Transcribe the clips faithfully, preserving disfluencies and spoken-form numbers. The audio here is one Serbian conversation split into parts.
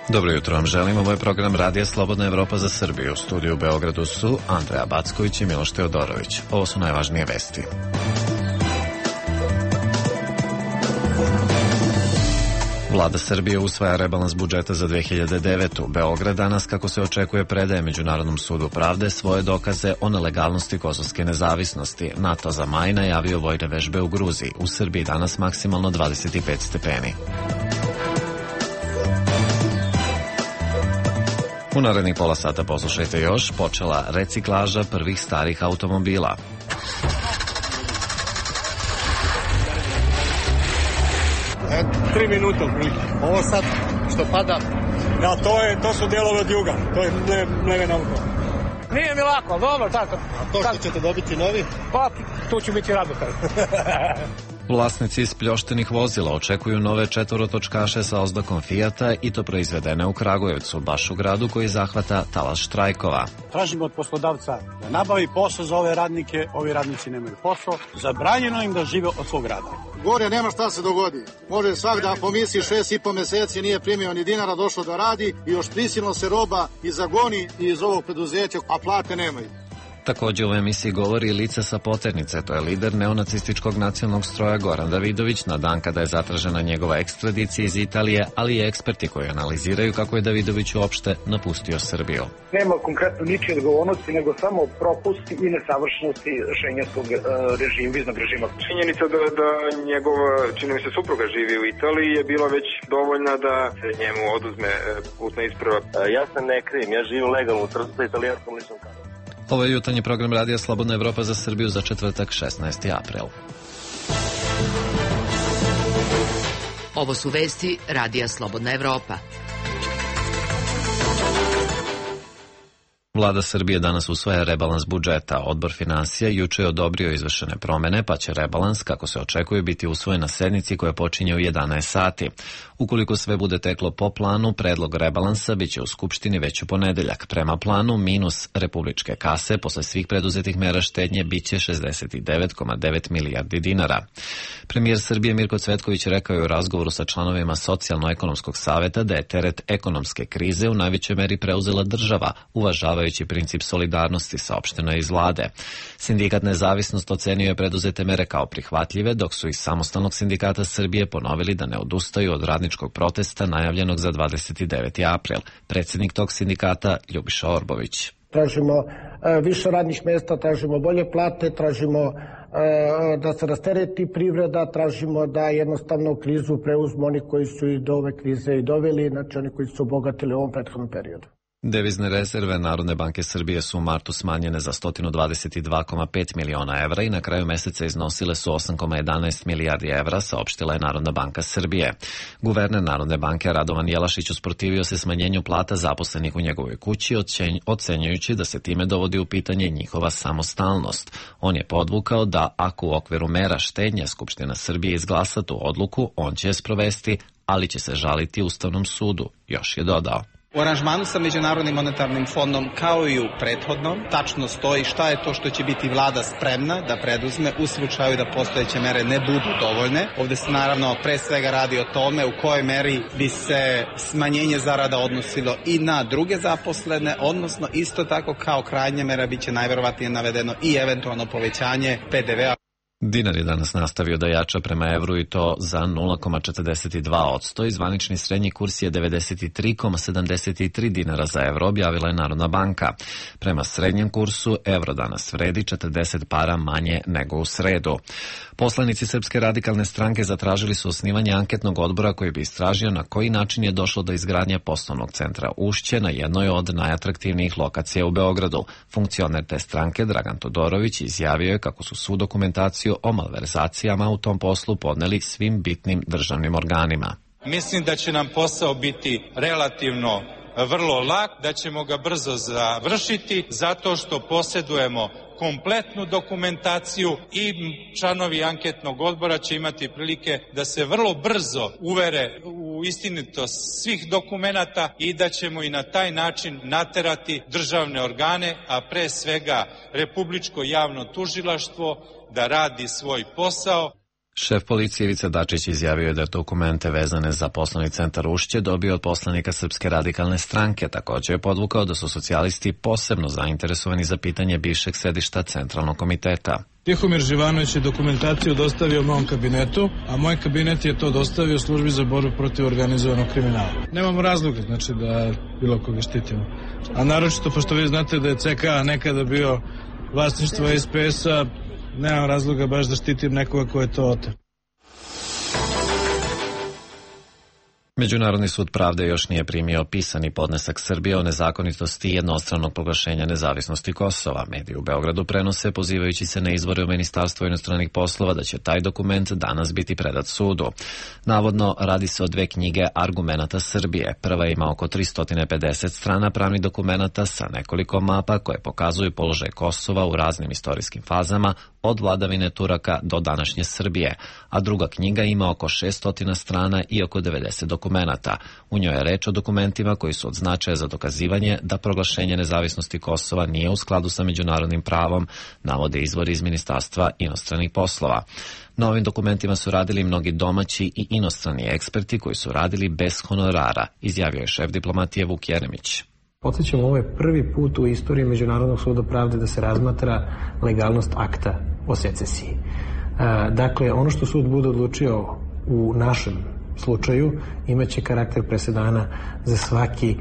Dobro jutro vam želim, ovo je program Radija Slobodna Evropa za Srbiju. U studiju u Beogradu su Andreja Backović i Miloš Teodorović. Ovo su najvažnije vesti. Vlada Srbije usvaja rebalans budžeta za dve hiljade devetu. Beograd danas, kako se očekuje, predaje Međunarodnom sudu pravde svoje dokaze o nelegalnosti kosovske nezavisnosti. NATO za maj najavio vojne vežbe u Gruziji. U Srbiji danas maksimalno dvadeset pet stepeni. U narednih pola sata poslušajte još, počela reciklaža prvih starih automobila. E, tri minuta otprilike. Ovo sad što pada, da, to, je, to su delove od juga, to je mlevena auto. Nije mi lako, dobro, tako. A to što ćete dobiti novi? Pa, tu ću biti radotan. Vlasnici ispljoštenih vozila očekuju nove četvorotočkaše sa oznakom Fijata i to proizvedene u Kragujevcu, baš u gradu koji zahvata talas štrajkova. Tražimo od poslodavca da nabavi posao za ove radnike, ovi radnici nemaju posao, zabranjeno im da žive od svog rada. Gore nema šta se dogodi. Može svak da po misiji šest i po meseci nije primio ni dinara, došlo da radi i još prisilno se roba i zagoni iz ovog preduzeća, a plate nemaju. Također u emisiji govori lice sa poternice, to je lider neonacističkog nacionalnog stroja Goran Davidović na dan kada je zatražena njegova ekstradicija iz Italije, ali i eksperti koji analiziraju kako je Davidović uopšte napustio Srbiju. Nema konkretno ničije odgovornosti, nego samo propusti i nesavršenosti šengenskog uh, režima, viznog režima. Činjenica da, da njegov, čini mi se, supruga živi u Italiji je bila već dovoljna da se njemu oduzme putna isprava. Ja se ne krijem, ja živim legalno u Trstu sa italijanskom ličnom kartom. Ovo je jutarnji program Radija Slobodna Evropa za Srbiju za četvrtak šesnaesti april. Ovo su vesti Radija Slobodna Evropa. Vlada Srbije danas usvaja rebalans budžeta. Odbor finansija juče je odobrio izvršene promene, pa će rebalans, kako se očekuje, biti usvojen na sednici koja počinje u jedanaest sati. Ukoliko sve bude teklo po planu, predlog rebalansa biće u Skupštini već u ponedeljak. Prema planu, minus republičke kase posle svih preduzetih mera štednje biće šezdeset devet zarez devet milijardi dinara. Premijer Srbije Mirko Cvetković rekao je u razgovoru sa članovima Socijalno-ekonomskog saveta da je teret ekonomske krize u najvećoj meri preuzela država, uvažavajući princip solidarnosti, saopšteno je iz vlade. Sindikat Nezavisnost ocenio je preduzete mere kao prihvatljive, dok su iz Samostalnog sindikata Srbije ponovili da ne odustaju od radničkog protesta najavljenog za dvadeset deveti april. Predsjednik tog sindikata Ljubiša Orbović. Tražimo e, više radnih mjesta, tražimo bolje plate, tražimo e, da se rastereti privreda, tražimo da jednostavno krizu preuzmu oni koji su i do ove krize i doveli, znači oni koji su obogatili u ovom prethodnom periodu. Devizne rezerve Narodne banke Srbije su u martu smanjene za sto dvadeset dva zarez pet miliona evra i na kraju meseca iznosile su osam zarez jedanaest milijardi evra, saopštila je Narodna banka Srbije. Guverner Narodne banke Radovan Jelašić usprotivio se smanjenju plata zaposlenih u njegovoj kući, ocenjujući da se time dovodi u pitanje njihova samostalnost. On je podvukao da ako u okviru mera štednje Skupština Srbije izglasa tu odluku, on će je sprovesti, ali će se žaliti Ustavnom sudu, još je dodao. U aranžmanu sa Međunarodnim monetarnim fondom, kao i u prethodnom, tačno stoji šta je to što će biti vlada spremna da preduzme u slučaju da postojeće mere ne budu dovoljne. Ovdje se naravno pre svega radi o tome u kojoj meri bi se smanjenje zarada odnosilo i na druge zaposlene, odnosno isto tako kao krajnja mera biće najverovatnije navedeno i eventualno povećanje pe de ve a. Dinar je danas nastavio da jača prema evru i to za nula zarez četrdeset dva posto i zvanični srednji kurs je devedeset tri zarez sedamdeset tri dinara za evro, objavila je Narodna banka. Prema srednjem kursu evro danas vredi četrdeset para manje nego u sredu. Poslanici Srpske radikalne stranke zatražili su osnivanje anketnog odbora koji bi istražio na koji način je došlo do izgradnje poslovnog centra Ušće na jednoj od najatraktivnijih lokacija u Beogradu. Funkcioner te stranke Dragan Todorović izjavio je kako su svu dokumentaciju o malverzacijama u tom poslu podneli svim bitnim državnim organima. Mislim da će nam posao biti relativno vrlo lak, da ćemo ga brzo završiti zato što posjedujemo kompletnu dokumentaciju i članovi anketnog odbora će imati prilike da se vrlo brzo uvere u istinitost svih dokumenata i da ćemo i na taj način naterati državne organe, a pre svega Republičko javno tužilaštvo, da radi svoj posao. Šef policije Ivica Dačić izjavio je da dokumente vezane za poslovni centar Ušće dobio od poslanika Srpske radikalne stranke. Također je podvukao da su socijalisti posebno zainteresovani za pitanje bivšeg sedišta Centralnog komiteta. Tihomir Živanović je dokumentaciju dostavio mom kabinetu, a moj kabinet je to dostavio službi za borbu protiv organizovanog kriminala. Nemamo razloga, znači, da bilo koga štitimo. A naročito, pošto vi znate da je C K nekada bio vlasništvo S P S-a, nemam razloga baš da štitim nekoga ko je to oteo. Međunarodni sud pravde još nije primio pisani podnesak Srbije o nezakonitosti jednostranog proglašenja nezavisnosti Kosova. Mediji u Beogradu prenose, pozivajući se na izvore u Ministarstvu inostranih poslova, da će taj dokument danas biti predat sudu. Navodno, radi se o dve knjige argumenata Srbije. Prva ima oko tristo pedeset strana pravnih dokumenata sa nekoliko mapa koje pokazuju položaj Kosova u raznim istorijskim fazama, od vladavine Turaka do današnje Srbije, a druga knjiga ima oko šesto strana i oko devedeset dokumenata. U njoj je reč o dokumentima koji su od značaja za dokazivanje da proglašenje nezavisnosti Kosova nije u skladu sa međunarodnim pravom, navode izvori iz Ministarstva inostranih poslova. Na ovim dokumentima su radili mnogi domaći i inostrani eksperti koji su radili bez honorara, izjavio je šef diplomatije Vuk Jeremić. Podsjećamo, ovo je prvi put u istoriji Međunarodnog suda pravde da se razmatra legalnost akta o secesiji. Dakle, ono što sud bude odlučio u našem slučaju imaće karakter presedana za svaki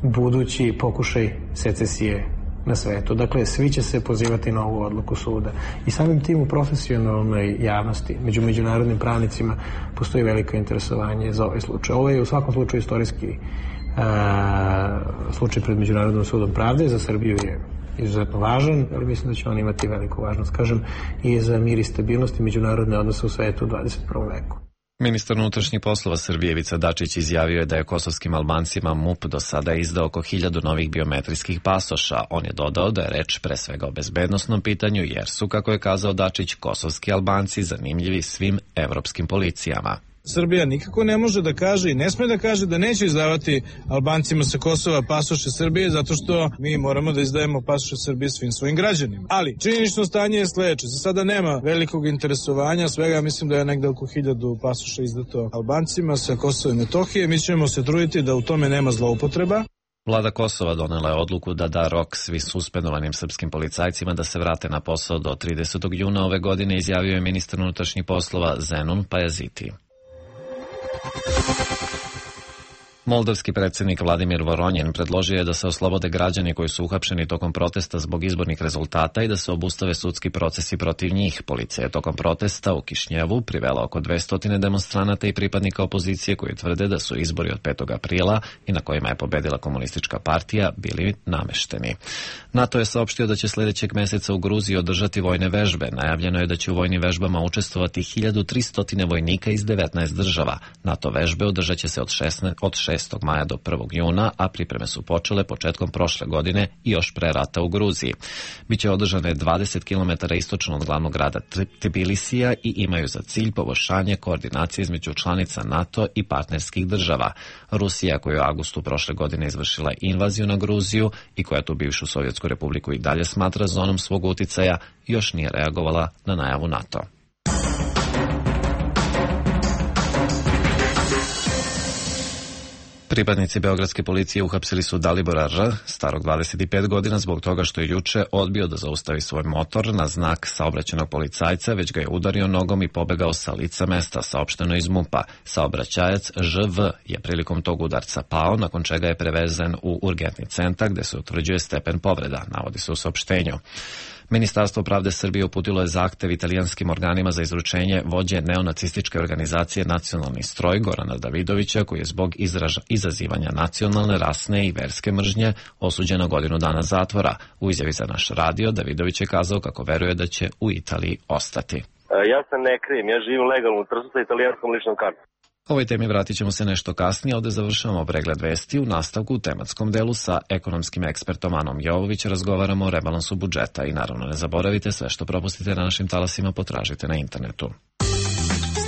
budući pokušaj secesije na svetu. Dakle, svi će se pozivati na ovu odluku suda. I samim tim u profesionalnoj javnosti, među međunarodnim pravnicima, postoji veliko interesovanje za ovaj slučaj. Ovo je u svakom slučaju istorijski uh, slučaj pred Međunarodnim sudom pravde. Za Srbiju je izuzetno važan, ali mislim da će on imati veliku važnost, kažem, i za mir i stabilnost i međunarodne odnose u svetu u dvadeset prvom veku. Ministar unutrašnjih poslova Srbije Ivica Dačić izjavio je da je kosovskim Albancima M U P do sada izdao oko hiljadu novih biometrijskih pasoša. On je dodao da je reč pre svega o bezbednosnom pitanju, jer su, kako je kazao Dačić, kosovski Albanci zanimljivi svim evropskim policijama. Srbija nikako ne može da kaže i ne sme da kaže da neće izdavati Albancima sa Kosova pasoše Srbije, zato što mi moramo da izdajemo pasoše Srbije svim svojim građanima. Ali činjenično stanje je sledeće. Za sada nema velikog interesovanja, svega mislim da je negde oko hiljadu pasoša izdato Albancima sa Kosova i Metohije. Mi ćemo se truditi da u tome nema zloupotreba. Vlada Kosova donela je odluku da da rok svi suspendovanim srpskim policajcima da se vrate na posao do tridesetog juna ove godine, izjavio je ministar unutrašnjih poslova Zenon Pajaziti. Moldavski predsjednik Vladimir Voronjin predložio je da se oslobode građani koji su uhapšeni tokom protesta zbog izbornih rezultata i da se obustave sudski procesi protiv njih. Policija je tokom protesta u Kišnjevu privela oko dvesta demonstranata i pripadnika opozicije koji tvrde da su izbori od petog aprila i na kojima je pobedila komunistička partija bili namešteni. NATO je saopštio da će sljedećeg meseca u Gruziji održati vojne vežbe. Najavljeno je da će u vojnim vežbama učestvovati hiljadu tristo vojnika iz devetnaest država. NATO vežbe održat će se od šestog maja do prvog juna, a pripreme su počele početkom prošle godine i još pre rata u Gruziji. Biće održane dvadeset kilometara istočno od glavnog grada Tbilisija i imaju za cilj poboljšanje koordinacije između članica NATO i partnerskih država. Rusija, koja je u avgustu prošle godine izvršila invaziju na Gruziju i koja tu bivšu Sovjetsku republiku i dalje smatra zonom svog uticaja, još nije reagovala na najavu NATO. Pripadnici beogradske policije uhapsili su Dalibora R., starog dvadeset pet godina, zbog toga što je juče odbio da zaustavi svoj motor na znak saobraćajnog policajca, već ga je udario nogom i pobegao sa lica mesta, saopšteno iz M U P-a. Saobraćajac Ž V je prilikom tog udarca pao, nakon čega je prevezen u urgentni centar gde se utvrđuje stepen povreda, navodi se u saopštenju. Ministarstvo pravde Srbije uputilo je zahtev italijanskim organima za izručenje vođe neonacističke organizacije Nacionalni stroj Gorana Davidovića, koji je zbog izraža, izazivanja nacionalne, rasne i verske mržnje osuđen na godinu dana zatvora. U izjavi za naš radio Davidović je kazao kako veruje da će u Italiji ostati. Ja se ne krijem, ja živim legalno u Trstu sa italijanskom ličnom kartom. Ovoj temi vratit ćemo se nešto kasnije, ovdje završavamo pregled vesti. U nastavku u tematskom delu sa ekonomskim ekspertom Anom Jovović razgovaramo o rebalansu budžeta i naravno ne zaboravite, sve što propustite na našim talasima potražite na internetu.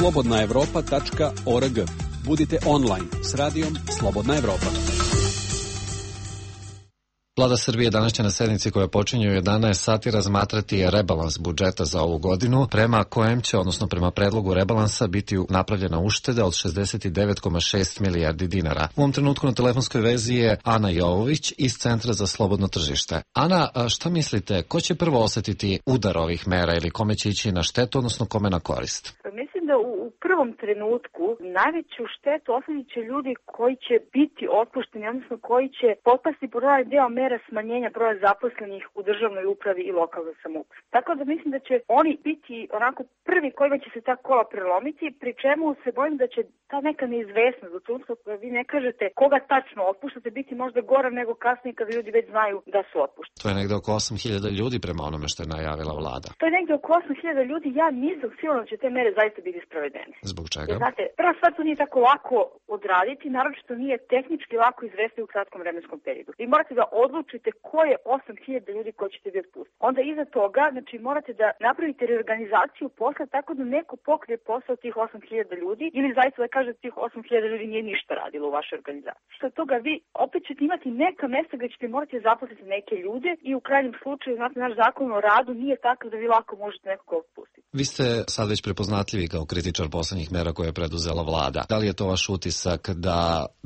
slobodna evropa tačka org. Budite online s radijom Slobodna Evropa. Vlada Srbije danas će na sednici koja počinje u jedanaest sati razmatrati rebalans budžeta za ovu godinu, prema kojem će, odnosno prema predlogu rebalansa, biti napravljena ušteda od šezdeset devet zarez šest milijardi dinara. U ovom trenutku na telefonskoj vezi je Ana Jovović iz Centra za slobodno tržište. Ana, šta mislite, ko će prvo osetiti udar ovih mera ili kome će ići na štetu, odnosno kome na korist? Mislim da u, u prvom trenutku najveću štetu osjetit će ljudi koji će biti otpušteni, odnosno koji će potpasti pod ovaj deo mera smanjenja broja zaposlenih u državnoj upravi i lokalnoj samoupravi. Tako da mislim da će oni biti onako prvi kojima će se ta kola prelomiti, pri čemu se bojim da će ta neka neizvesnost do trenutka kada vi ne kažete koga tačno otpuštate biti možda gora nego kasnije kada ljudi već znaju da su otpušteni. To je negde oko osam hiljada ljudi prema onome što je najavila vlada. To je negde oko osam hiljada ljudi, ja nisam sigurna da će te mere zaista biti sprovedene. Zbog čega? Jer, znate, prva stvar to nije tako lako odraditi, naročito nije tehnički lako izvesti u kratkom vremenskom periodu. Vi morate da odlučite ko je osam hiljada ljudi koji ćete vi otpustiti. Onda iza toga, znači morate da napravite reorganizaciju posla tako da neko pokrije posao tih osam hiljada ljudi ili zaista da kažete tih osam hiljada ljudi nije ništa radilo u vašoj organizaciji. Što toga vi opet ćete imati neka mesta gdje ćete morati zaposliti neke ljude i u krajnjem slučaju, znate, naš zakon o radu nije takav da vi lako možete nekoga otpustiti. Vi ste sad već prepoznatljivi kao kritičar poslednjih mera koje je preduzela vlada. Da li je to vaš utisak da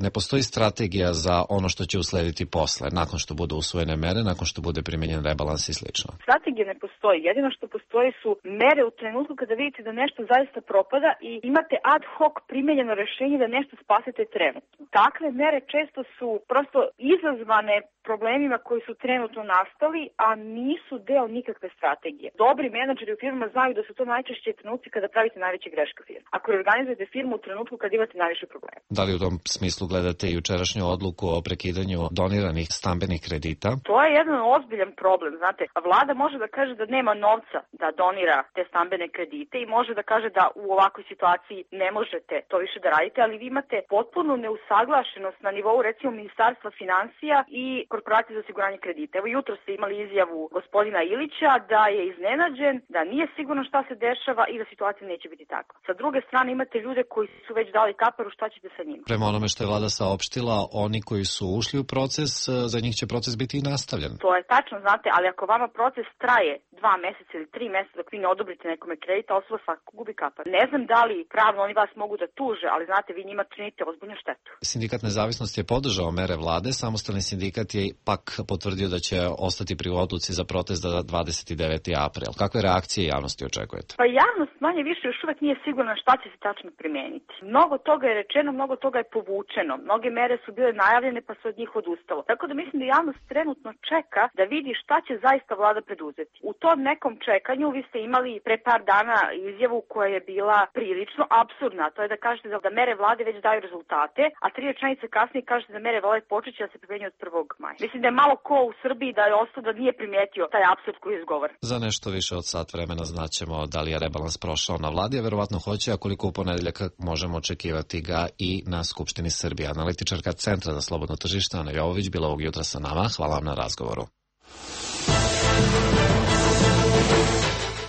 ne postoji strategija za ono što će uslediti posle, nakon što budu usvojene mere, nakon što bude primenjen rebalans i slično? Strategija ne postoji. Jedino što postoji su mere u trenutku kada vidite da nešto zaista propada i imate ad hoc primenjeno rešenje da nešto spasete trenutno. Takve mere često su prosto izazvane problemima koji su trenutno nastali, a nisu deo nikakve strategije. Dobri menadžeri u firmama znaju da su to najčešće trenutci kada pravite najveće greške u firmi. Ako organizujete firmu u trenutku kada imate najviše problema. Da li u tom smislu gledate i jučerašnju odluku o prekidanju doniranih stambenih kredita? To je jedan ozbiljan problem, znate. Vlada može da kaže da nema novca da donira te stambene kredite i može da kaže da u ovakvoj situaciji ne možete to više da radite, ali vi imate potpuno neusaglašenost na nivou recimo Ministarstva finansija i Korporacije za osiguranje kredita. Evo jutro ste imali izjavu gospodina Ilića da je iznenađen, da nije sigurno šta se dešava i da situacija neće biti takva. Sa druge strane imate ljude koji su već dali kaparu, šta ćete sa njima? Prema onome što je vlada saopštila, oni koji su ušli u proces, za njih će proces biti i nastavljen. To je tačno, znate, ali ako vama proces traje dva meseca ili tri meseca dok vi ne odobrite nekome kredita, osoba svakako gubi kapar. Ne znam da li pravno oni vas mogu da tuže, ali znate, vi njima činite ozbiljnu štetu. Sindikat Nezavisnosti je podržao mere vlade, samostalni sindikat je pak potvrdio da će ostati pri odluci za protest za dvadeset deveti april. Kakve reakcije javnosti očekujete? Pa javnost manje više još uvek nije sigurna šta će se tačno primeniti. Mnogo toga je rečeno, mnogo toga je povučeno. Mnoge mere su bile najavljene pa se od njih odustalo. Tako da mislim da javnost trenutno čeka da vidi šta će zaista vlada preduzeti. U tom nekom čekanju vi ste imali pre par dana izjavu koja je bila prilično apsurdna. To je da kažete da mere vlade već daju rezultate, a tri rečenice kasnije kažete da mere vlade počeće da se primenjuju od prvog maja. Mislim da je malo ko u Srbiji da je ostao da nije primetio taj apsurd koji je izgovoren. Za nešto više od sat vremena znaćemo da li je rebalans prošao na vladi, a verovatno hoće, a koliko u ponedeljak možemo očekivati ga i na Skupštini Srbije. Analitičarka Centra za slobodno tržište Ana Jovović bila ovog jutra sa nama. Hvala vam na razgovoru.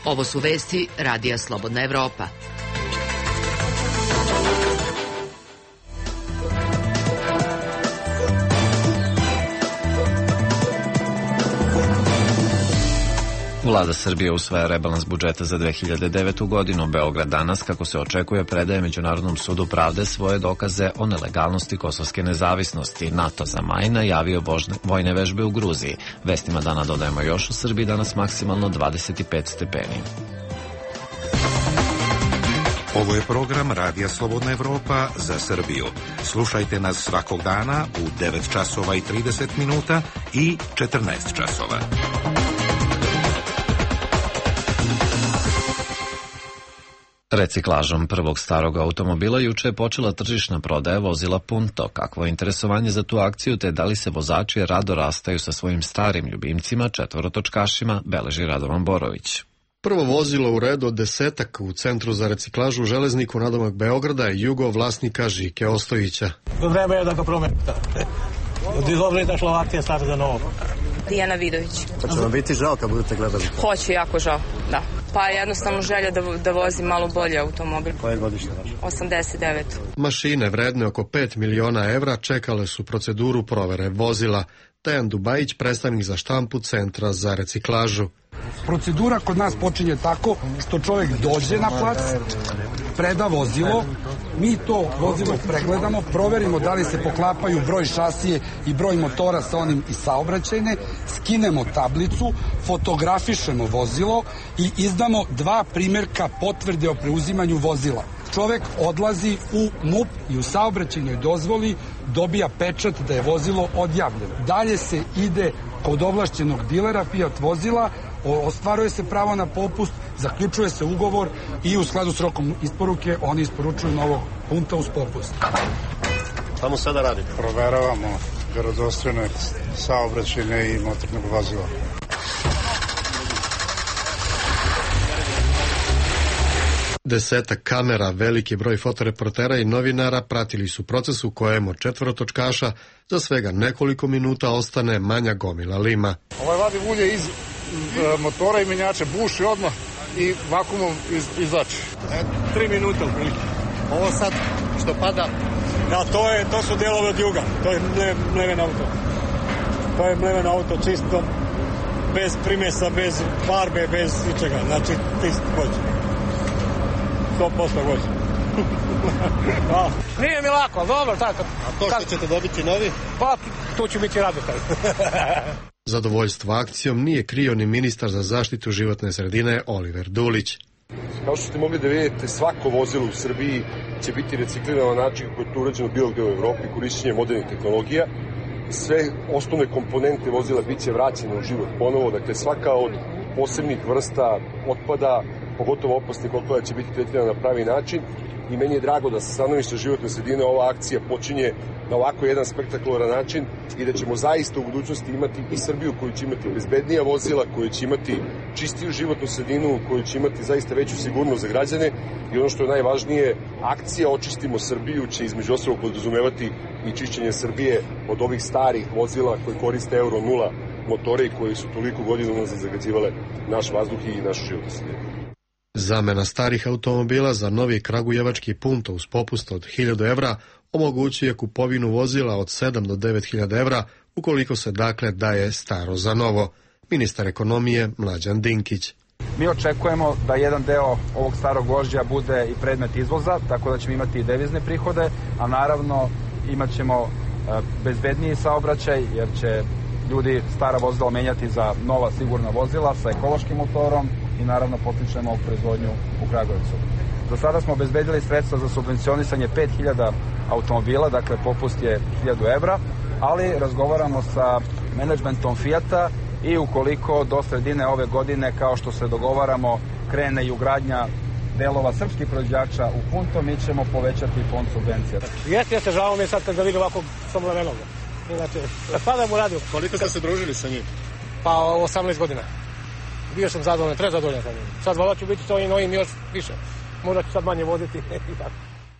Ovo su vesti Radija Slobodna Evropa. Vlada Srbije usvaja rebalans budžeta za dve hiljade devetu godinu. Beograd danas, kako se očekuje, predaje Međunarodnom sudu pravde svoje dokaze o nelegalnosti kosovske nezavisnosti. NATO za maj najavio božne, vojne vežbe u Gruziji. Vestima dana dodajemo još, u Srbiji danas maksimalno dvadeset pet stepeni. Ovo je program Radija Slobodna Evropa za Srbiju. Slušajte nas svakog dana u devet časova i trideset minuta i četrnaest časova. Reciklažom prvog starog automobila juče je počela tržišna prodaja vozila Punto. Kakvo je interesovanje za tu akciju, te da li se vozači rado rastaju sa svojim starim ljubimcima, četvorotočkašima, beleži Radovan Borović. Prvo vozilo u redu od desetak u Centru za reciklažu u Železniku nadomak Beograda je Jugo vlasnika Žike Ostojića. Vreme je da ga promenite. Od izobljeta šla akcija stara za novo. Dijana Vidović. Hoće vam biti žao kad budete gledali? Hoće, jako žao, da. Pa jednostavno želja da, da vozim malo bolje automobil. Koje godište vaš? osamdeset devet. Mašine vredne oko pet miliona evra čekale su proceduru provere vozila. Dejan Dubajić, predstavnik za štampu Centra za reciklažu. Procedura kod nas počinje tako što čovjek dođe na plac, preda vozilo, mi to vozilo pregledamo, proverimo da li se poklapaju broj šasije i broj motora sa onim iz saobraćajne, skinemo tablicu, fotografišemo vozilo i izdamo dva primjerka potvrde o preuzimanju vozila. Čovek odlazi u M U P i u saobraćajnoj dozvoli dobija pečat da je vozilo odjavljeno. Dalje se ide kod ovlašćenog dilera Fiat vozila, ostvaruje se pravo na popust, zaključuje se ugovor i u skladu s rokom isporuke oni isporučuju novog punta uz popust. Tamo sada radite? Proveravamo vjerodostojnost saobraćajne i motornog vozila. Desetak kamera, veliki broj fotoreportera i novinara pratili su proces u kojem od četvorotočkaša za svega nekoliko minuta ostane manja gomila lima. Ovaj vadi ulje iz, iz uh, motora i menjača, buši odmah i vakumom iz, izlači. E, tri minuta u priliku. Ovo sad što pada, da, to, je, to su delove od juga. To je mleven auto. To je mleven auto čisto, bez primjesa, bez farbe, bez ničega. Znači, čist vođe. sto posto vođe. Nije mi lako, ali dobro, tako. A to što ćete dobiti novi? Pa, tu ću biti radostan. Zadovoljstvo akcijom nije krio ni ministar za zaštitu životne sredine Oliver Dulić. Kao što ste mogli da vidite, svako vozilo u Srbiji će biti reciklirano na način kako je to urađeno bilo gde u Evropi, korišćenje modernih tehnologija. Sve osnovne komponente vozila bit će vraćene u život ponovo, dakle svaka od posebnih vrsta otpada, pogotovo opasnih otpada, će biti tretirana na pravi način i meni je drago da sa stanovišta životne sredine ova akcija počinje na ovako jedan spektakularan način i da ćemo zaista u budućnosti imati i Srbiju koju će imati bezbednija vozila, koju će imati čistiju životnu sredinu, koju će imati zaista veću sigurnost za građane i ono što je najvažnije, akcija Očistimo Srbiju će između ostalog podrazumevati i čišćenje Srbije od ovih starih vozila koji koriste Euro nula motore i koji su toliko godina unazad zagađivale naš vazduh i našu životnu sredinu. Zamena starih automobila za novi kragujevački punto uz popust od hiljadu evra omogućuje kupovinu vozila od sedam do devet hiljada evra ukoliko se dakle daje staro za novo. Ministar ekonomije Mlađan Dinkić. Mi očekujemo da jedan deo ovog starog gvožđa bude i predmet izvoza, tako da ćemo imati i devizne prihode, a naravno imat ćemo bezbedniji saobraćaj jer će ljudi stara vozila menjati za nova sigurna vozila sa ekološkim motorom i naravno potičemo proizvodnju u Kragujevcu. Do sada smo obezbedili sredstva za subvencionisanje pet hiljada automobila, dakle popust je hiljadu evra, ali razgovaramo sa menadžmentom Fijata i ukoliko do sredine ove godine, kao što se dogovaramo, krene i ugradnja delova srpskih proizvođača u punto, mi ćemo povećati fond subvencija. Jeste, jeste, žao mi je sad kad ga vidim ovako samo na noga. Inače, sada mu radio. Koliko ste se družili sa njim? Pa osamnaest godina. Bio sam zadovoljan, treba zadovoljan sa njim. Sad valjda ću biti s ovim novim još više. Možda ću sad manje voziti i tako.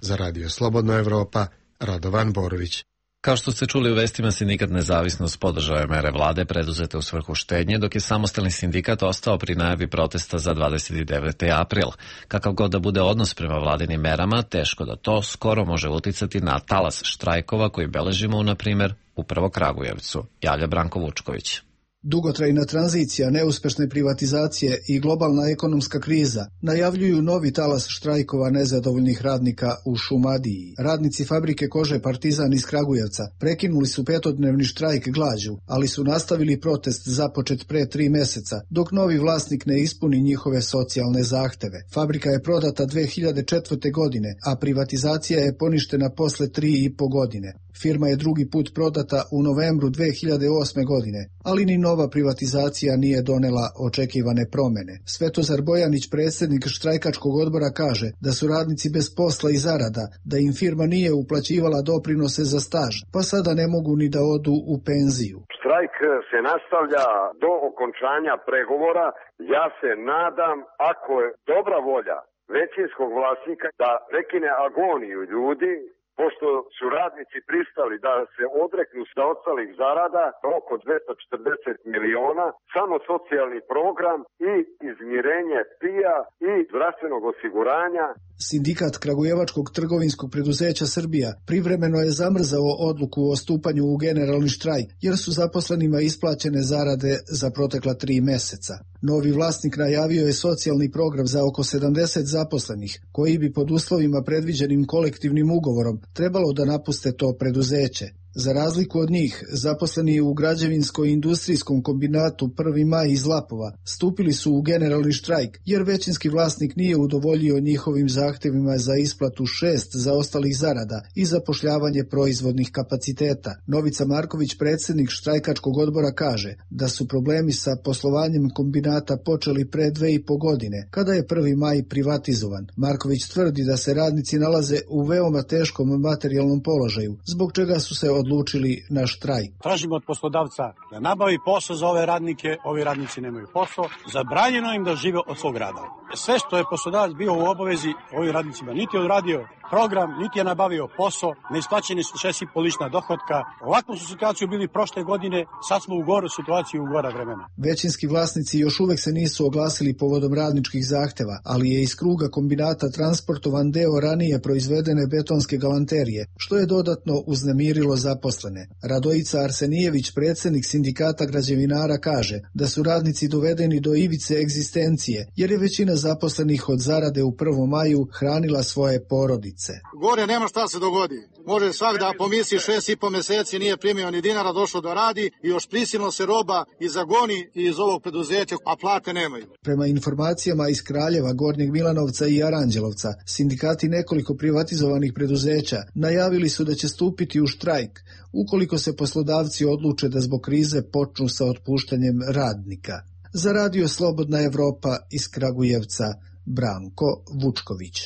Za Radio Slobodna Evropa, Radovan Borović. Kao što ste čuli u vestima, sindikat Nezavisnost podržao je mere vlade preduzete u svrhu štednje, dok je samostalni sindikat ostao pri najavi protesta za dvadeset deveti april. Kakav god da bude odnos prema vladinim merama, teško da to skoro može uticati na talas štrajkova koji beležimo, na primjer, upravo Kragujevcu, javlja Branko Vučković. Dugotrajna tranzicija, neuspešne privatizacije i globalna ekonomska kriza najavljuju novi talas štrajkova nezadovoljnih radnika u Šumadiji. Radnici fabrike kože Partizan iz Kragujevca prekinuli su petodnevni štrajk glađu, ali su nastavili protest započet pre tri meseca, dok novi vlasnik ne ispuni njihove socijalne zahteve. Fabrika je prodata dve hiljade četvrte. godine, a privatizacija je poništena posle tri i po godine. Firma je drugi put prodata u novembru dve hiljade osme. godine, ali ni nova privatizacija nije donela očekivane promene. Svetozar Bojanić, predsjednik štrajkačkog odbora, kaže da su radnici bez posla i zarada, da im firma nije uplaćivala doprinose za staž, pa sada ne mogu ni da odu u penziju. Štrajk se nastavlja do okončanja pregovora. Ja se nadam, ako je dobra volja većinskog vlasnika da prekine agoniju ljudi pošto su radnici pristali da se odreknu zaostalih zarada oko dvesta četrdeset miliona, samo socijalni program i izmirenje P I A i zdravstvenog osiguranja. Sindikat Kragujevačkog trgovinskog preduzeća Srbija privremeno je zamrzao odluku o stupanju u generalni štrajk, jer su zaposlenima isplaćene zarade za protekla tri meseca. Novi vlasnik najavio je socijalni program za oko sedamdeset zaposlenih, koji bi pod uslovima predviđenim kolektivnim ugovorom trebalo da napuste to preduzeće. Za razliku od njih, zaposleni u građevinsko-industrijskom kombinatu Prvi maj iz Lapova stupili su u generalni štrajk, jer većinski vlasnik nije udovoljio njihovim zahtevima za isplatu šest zaostalih zarada i zapošljavanje proizvodnih kapaciteta. Novica Marković, predsjednik štrajkačkog odbora, kaže da su problemi sa poslovanjem kombinata počeli pre dve i po godine, kada je Prvi maj privatizovan. Marković tvrdi da se radnici nalaze u veoma teškom materijalnom položaju, zbog čega su se odlučili na štrajk. Tražimo od poslodavca da nabavi posao za ove radnike, ovi radnici nemaju posao, zabranjeno im da žive od svog rada. Sve što je poslodavac bio u obavezi, ovim radnicima niti je odradio program, niti je nabavio posao, neisplaćeni su šest i po lična dohotka. Ovakvu su situaciju bili prošle godine, sad smo u goru situaciju, u gora vremena. Većinski vlasnici još uvek se nisu oglasili povodom radničkih zahteva, ali je iz kruga kombinata transportovan deo ranije proizvedene betonske galanterije, što je dodatno uznemirilo zaposlene. Radojica Arsenijević, predsjednik sindikata građevinara, kaže da su radnici dovedeni do ivice egzistencije, jer je većina zaposlenih od zarade u Prvom maju hranila svoje porodice. Gore nema šta se dogodi. Može svak da pomisli šest i po meseci nije primio ni dinara, došao da radi i još prisilno se roba i zagoni iz ovog preduzeća, a plate nemaju. Prema informacijama iz Kraljeva, Gornjeg Milanovca i Aranđelovca, sindikati nekoliko privatizovanih preduzeća najavili su da će stupiti u štrajk ukoliko se poslodavci odluče da zbog krize počnu sa otpuštanjem radnika. Za Radio Slobodna Evropa iz Kragujevca, Branko Vučković.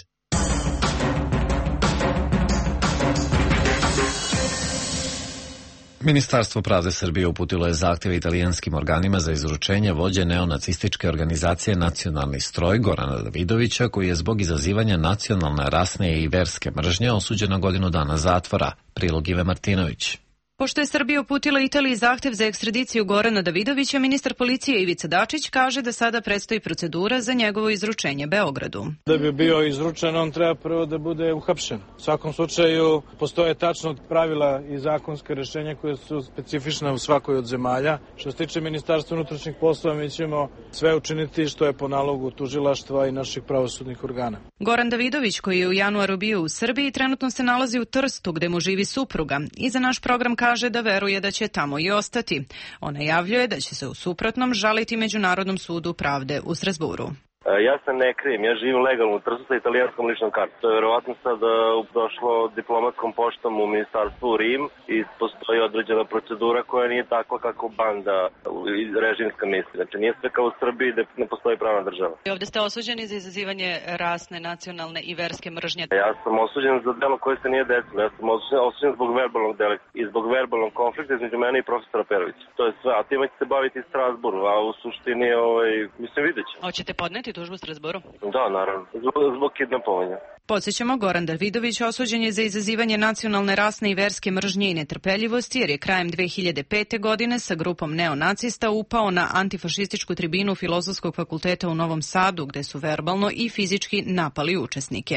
Ministarstvo pravde Srbije uputilo je zahtjeve italijanskim organima za izručenje vođe neonacističke organizacije Nacionalni stroj Gorana Davidovića, koji je zbog izazivanja nacionalne, rasne i verske mržnje osuđen na godinu dana zatvora. Prilog Ive Martinović. Pošto je Srbija uputila Italiji zahtev za ekstradiciju Gorana Davidovića, ministar policije Ivica Dačić kaže da sada predstoji procedura za njegovo izručenje Beogradu. Da bi bio izručen, on treba prvo da bude uhapšen. U svakom slučaju postoje tačno pravila i zakonske rešenja koje su specifične u svakoj od zemalja. Što se tiče Ministarstva unutrašnjih poslova, mi ćemo sve učiniti što je po nalogu tužilaštva i naših pravosudnih organa. Goran Davidović, koji je u januaru bio u Srbiji, trenutno se nalazi u Trstu gde mu živi supruga i za naš program kaže kaže da veruje da će tamo i ostati. On najavljuje da će se u suprotnom žaliti Međunarodnom sudu pravde u Strasburu. Ja se ne krijem, ja živim legalno u Trstu sa italijanskom ličnom kartom. To je verovatno sad došlo diplomatskom poštom u ministarstvu u Rim i postoji određena procedura koja nije takva kako banda režimska misli. Znači nije sve kao u Srbiji da ne postoji pravna država. I ovdje ste osuđeni za izazivanje rasne, nacionalne i verske mržnje. Ja sam osuđen za delo koje se nije desilo. Ja sam osuđen zbog verbalnog delikta i zbog verbalnog konflikta između mene i profesora Perovića. To je sve, a time će se baviti Strasburu, a u suštini, ovaj, mislim, vidjet će. Hoćete podneti tužbu u Strasburu? Da, naravno. Zbog, zbog kidnapovanja. Podsjećamo, Goran Davidović osuđen je za izazivanje nacionalne, rasne i verske mržnje i netrpeljivosti, jer je krajem dve hiljade pete. godine sa grupom neonacista upao na antifašističku tribinu Filozofskog fakulteta u Novom Sadu, gde su verbalno i fizički napali učesnike.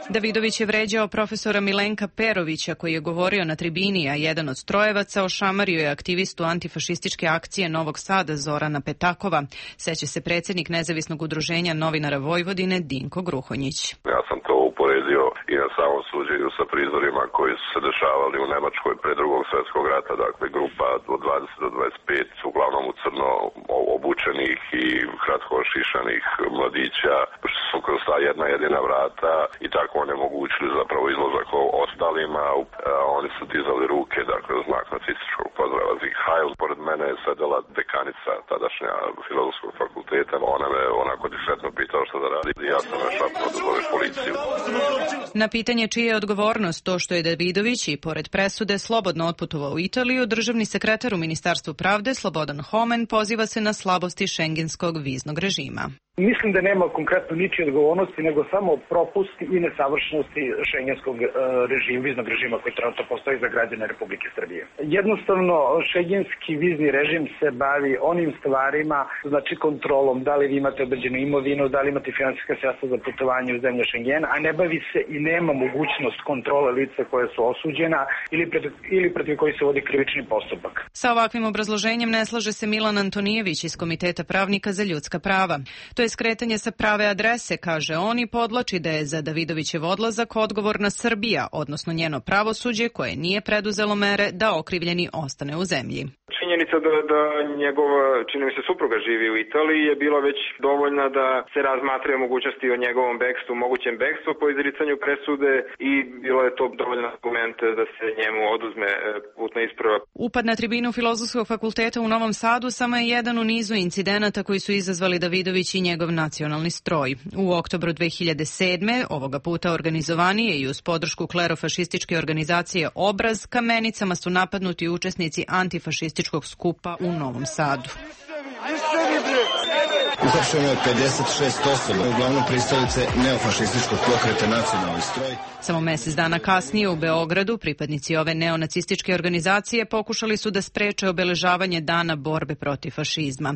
Davidović je vređao profesora Milenka Perovića, koji je govorio na tribini, a jedan od strojevaca ošamario je aktivistu antifašističke akcije Novog Sada Zorana Petakova. Seća se predsjednik Nezavisnog udruženja novinara Vojvodine Dinko Gruhonjić. Ja sam to uporedio i na samom suđenju sa prizorima koji su se dešavali u Nemačkoj pre drugog svjetskog rata, dakle grupa od dvadeset do dvadeset pet, uglavnom u crno obučenih i kratko ošišanih mladića, što su kroz ta jedna jedina vrata i tako onemogućili zapravo izlazak ostalima. Oni su dizali ruke, dakle, u znak nacističkog pozdrava Sieg Heil. Pored mene je sedela dekanica tadašnja Filozofskog fakulteta. Ona me onako diskretno pitala što da radi. Ja sam šapnuo da zoveš policiju. Na pitanje čija je odgovornost to što je Davidović i pored presude slobodno otputovao u Italiju, državni sekretar u Ministarstvu pravde Slobodan Homen poziva se na slabosti šengenskog viznog režima. Mislim da nema konkretno ničije odgovornosti, nego samo propusti i nesavršenosti šengenskog e, režima, viznog režima koji trenutno postoji za građane Republike Srbije. Jednostavno, šengenski vizni režim se bavi onim stvarima, znači kontrolom, da li vi imate određenu imovinu, da li imate finansijska sredstva za putovanje u zemlje Šengena, a ne bavi se i nema mogućnost kontrole lica koje su osuđena ili protiv, ili protiv koji se vodi krivični postupak. Sa ovakvim obrazloženjem ne slaže se Milan Antonijević iz Komiteta pravnika za ljudska prava. To je skretanje sa prave adrese, kaže on, i podlači da je za Davidovićev odlazak odgovorna Srbija, odnosno njeno pravosuđe koje nije preduzelo mere da okrivljeni ostane u zemlji. Činjenica da, da njegova, čini mi se, supruga živi u Italiji je bila već dovoljna da se razmatraju mogućnosti o njegovom bekstvu, mogućem bekstvu po izricanju presude i bilo je to dovoljno argument da se njemu oduzme putna isprava. Upad na tribinu Filozofskog fakulteta u Novom Sadu samo je jedan u nizu incidenata koji su izazvali Davidović i njegov nacionalni stroj. U oktobru dve hiljade sedme. ovoga puta organizovanije i uz podršku klerofašističke organizacije Obraz, kamenicama su napadnuti učesnici antifašističkog skupa u Novom Sadu. Uhapšeno je pedeset šest osoba, uglavnom pristalice neofašističkog pokreta Nacionalni stroj. Samo mesec dana kasnije u Beogradu pripadnici ove neonacističke organizacije pokušali su da spreče obeležavanje Dana borbe protiv fašizma.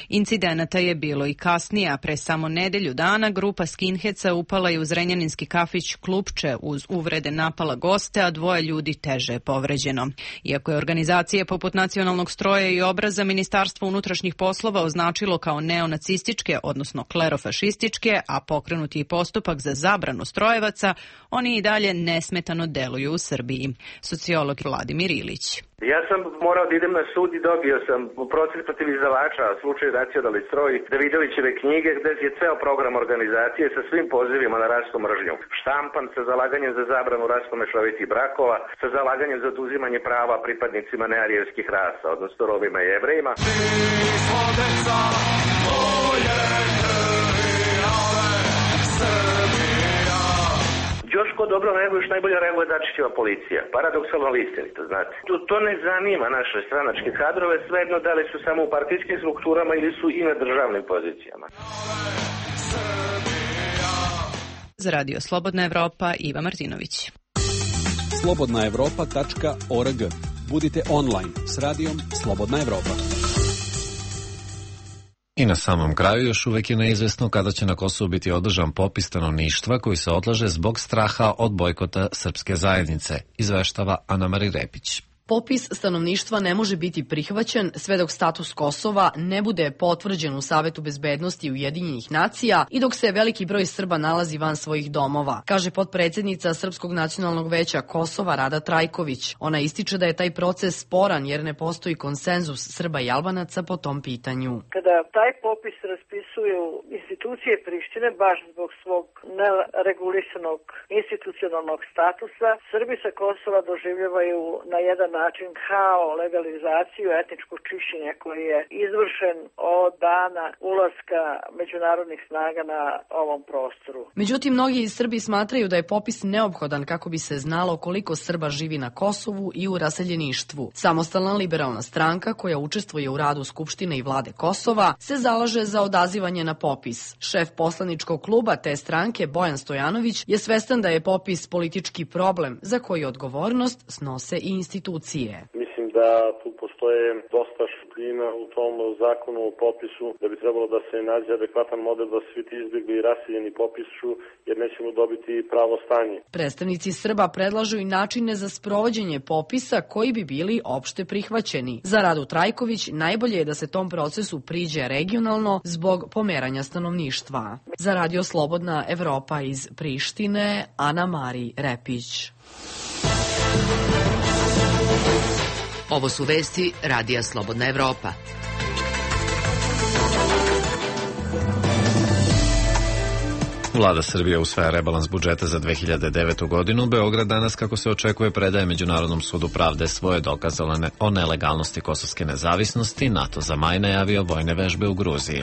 Incidenata je bilo i kasnije, a pre samo nedelju dana grupa skinheca upala je u zrenjaninski kafić Klupče, uz uvrede napala goste, a dvoje ljudi teže je povređeno. Iako je organizacije poput Nacionalnog stroja i Obraza Ministarstvo unutrašnjih poslova označilo kao neonacističke, odnosno klerofašističke, a pokrenuti i postupak za zabranu strojevaca, oni i dalje nesmetano deluju u Srbiji. Sociolog Vladimir Ilić. Ja sam morao da idem na sud i dobio sam proces protiv izdavača slučaj Nacionalni stroj Davidovićeve knjige, gde je ceo program organizacije sa svim pozivima na rasnu mržnju štampan, sa zalaganjem za zabranu rasno mešovitih brakova, sa zalaganjem za oduzimanje prava pripadnicima nearijevskih rasa, odnosno Romima i Jevrejima. Još ko dobro reaguje, još najbolje reaguje Dačićeva policija. Paradoksalno ali istinito, znate. To, to ne zanima naše stranačke kadrove, svejedno da li su samo u partijskim strukturama ili su i na državnim pozicijama. Za Radio Slobodna Evropa, Iva Martinović. slobodna evropa tačka org. Budite online s radijom Slobodna Evropa. I na samom kraju još uvek je neizvesno kada će na Kosovu biti održan popis stanovništva koji se odlaže zbog straha od bojkota srpske zajednice, izveštava Ana Mari Repić. Popis stanovništva ne može biti prihvaćen sve dok status Kosova ne bude potvrđen u Savetu bezbednosti Ujedinjenih nacija i dok se veliki broj Srba nalazi van svojih domova, kaže potpredsednica Srpskog nacionalnog veća Kosova Rada Trajković. Ona ističe da je taj proces sporan jer ne postoji konsenzus Srba i Albanaca po tom pitanju. Kada taj popis raspisuju institucije Prištine baš zbog svog neregulisanog institucionalnog statusa, Srbi sa Kosova doživljavaju na jedan način kao legalizaciju etničkog čišćenja koji je izvršen od dana ulaska međunarodnih snaga na ovom prostoru. Međutim, mnogi iz Srbi smatraju da je popis neophodan kako bi se znalo koliko Srba živi na Kosovu i u raseljeništvu. Samostalna liberalna stranka koja učestvuje u radu Skupštine i vlade Kosova se zalaže za odazivanje na popis. Šef poslaničkog kluba te stranke Bojan Stojanović je svestan da je popis politički problem za koji odgovornost snose i institucije. Mislim da tu postoje dosta šupljina u tom zakonu o popisu, da bi trebalo da se nađe adekvatan model da svi ti izbjegli i raseljeni popišu, jer nećemo dobiti pravo stanje. Predstavnici Srba predlažu i načine za sprovođenje popisa koji bi bili opšte prihvaćeni. Za Radu Trajković najbolje je da se tom procesu priđe regionalno zbog pomeranja stanovništva. Za Radio Slobodna Evropa iz Prištine, Ana Mari Repić. Ovo su vesti Radija Slobodna Evropa. Vlada Srbije usvaja rebalans budžeta za dve hiljade devetu. godinu. Beograd danas, kako se očekuje, predaje Međunarodnom sudu pravde svoje dokaze o nelegalnosti kosovske nezavisnosti. NATO za maj najavio vojne vežbe u Gruziji.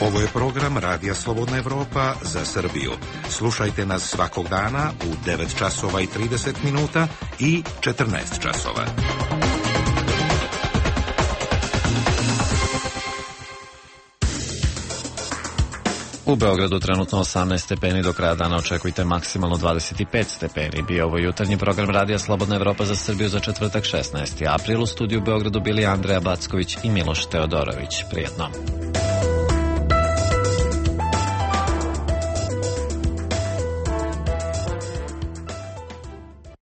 Ovo je program Radija Slobodna Evropa za Srbiju. Slušajte nas svakog dana u devet časova i trideset minuta i četrnaest časova. U Beogradu trenutno osamnaest stepeni, do kraja dana očekujte maksimalno dvadeset pet stepeni. Bio ovo jutarnji program Radija Slobodna Evropa za Srbiju za četvrtak šesnaesti april. U studiju u Beogradu bili Andreja Backović i Miloš Teodorović. Prijetno.